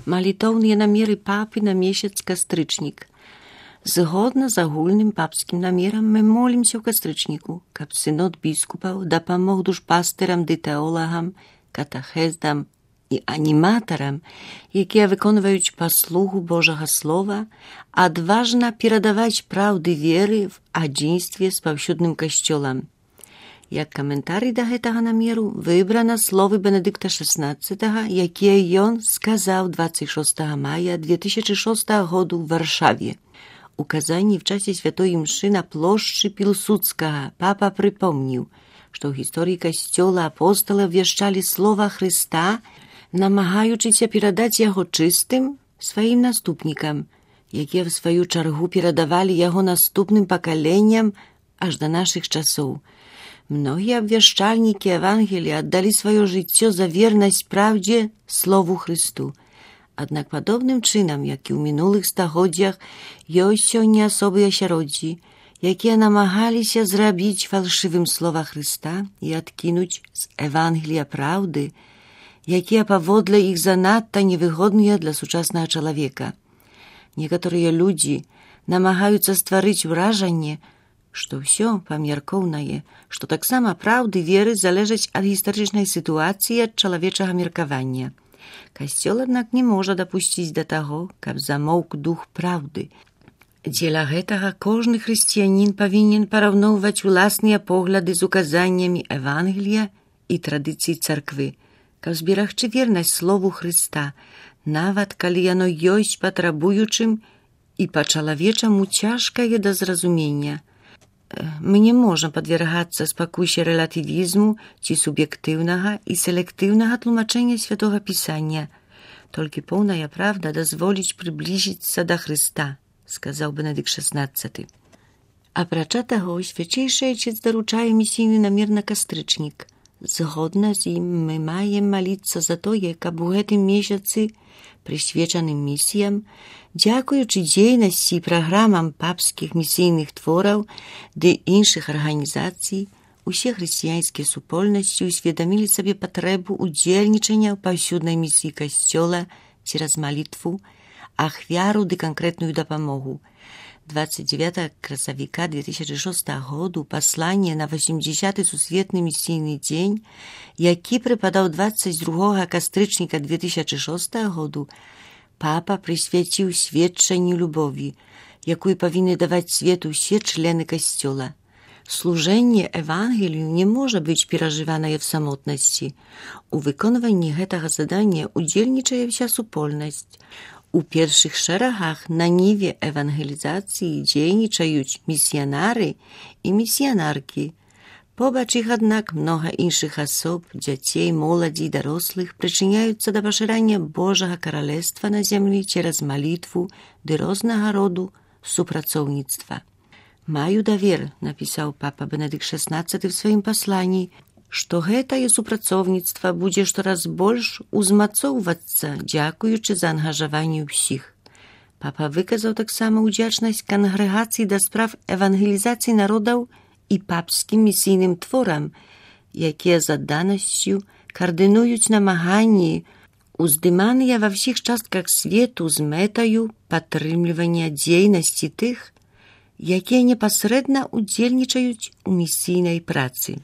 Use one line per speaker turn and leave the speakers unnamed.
Малітоўныя намеры папы на месяц кастрычнік. Згодна з агульным папскім намерам мы молімся ў кастрычніку, каб сынод біскупаў дапамог душпастырам ды тэолагам, катэхездам і аніматарам, якія выконваюць паслугу Божага Слова, адважна перадаваць праўды веры в адзінстве з паўсюдным касцёлам. Як каментарый да гэтага намеру выбрана словы Бенедыкта XVI, якія ён сказаў 26 мая 2006 году ў Варшаве. У Казані в часе святой імшы на плошчы Пілсудскага папа прыпомніў, што ў гісторыі касцёла апосталы абвяшчалі слова Хрыста, намагаючыся перадаць яго чыстым сваім наступнікам, якія в сваю чаргу перадавалі яго наступным пакаленням аж да нашых часоў. Многія абвяшчальнікі Евангелія аддалі сваё жыццё за вернасць праўдзе слову Хрысту. Аднак падобным чынам, як і ў мінулых стагоддзях, ёсць сёння асобы асяроддзі, якія намагаліся зрабіць фальшывым слова Хрыста і адкінуць з Евангелія праўды, якія паводле іх занадта невыгодныя для сучаснага чалавека. Некаторыя людзі намагаюцца стварыць уражанне, што ўсё памяркоўнае, што таксама праўды веры залежаць ад гістарычнай сітуацыі, ад чалавечага меркавання. Касцёл, аднак, не можа дапусціць да таго, каб замоўк дух праўды. Дзеля гэтага кожны хрысціянін павінен параўноўваць уласныя погляды з указаннямі Евангелія і традыцый царквы, каб зберагчы вернасць слову Хрыста, нават калі яно ёсць патрабуючым і па-чалавечаму цяжкае да зразумення. Мы не можам падвергацца спакусе рэлятывізму ці суб'ектыўнага і селектыўнага тлумачэння святога Пісання. Толькі поўная правда дазволіць прыбліжыцца да Хрыста, сказаў Бенедыкт XVI. Апрача таго, свячэйшы айчыц даручае місійны намер на кастрычнік. Згодна з ім мы маем маліцца за тое, каб у гэтым месяцы, прысвечаным місіям, дзякуючы дзейнасці і праграмам папскіх місійных твораў ды іншых арганізацый, усе хрысціянскія супольнасці ўсведамілі сабе патрэбу ўдзельнічання ў паўсюднай місіі касцёла цераз малітву, ахвяру ды канкрэтную дапамогу. 29 красавіка 2006 году пасланне на 80-й сусветны місійны дзень, які прыпадаў 22 кастрычніка 2006 году, папа прысвяціў сведчанню любові, якую павінны даваць свету усе члены касцёла. Служэнне Евангелію не можа быць перажыванае в самотнасці. У выконванні гэтага задання удзельнічае вся супольнасць. У першых шэрагах на ніве евангелізацыі дзейнічаюць місіянары і місіянаркі. Побач іх, аднак, многа іншых асоб, дзяцей, моладзі і дарослых прычыняюцца да пашырання Божага каралевства на зямлі цераз малітву ды рознага роду супрацоўніцтва. «Маю давер», напісаў папа Бенедыкт XVI в сваім пасланні, што гэтае супрацоўніцтва будзе штораз больш узмацоўвацца, дзякуючы за ангажаванне ўсіх. Папа выказаў таксама ўдзячнасць кангрэгацыі да справ евангелізацыі народаў і папскім місійным творам, якія з адданасцю каардынуюць намаганні, уздыманыя ва ўсіх частках свету з мэтаю падтрымлівання дзейнасці тых, якія непасрэдна ўдзельнічаюць у місійнай працы.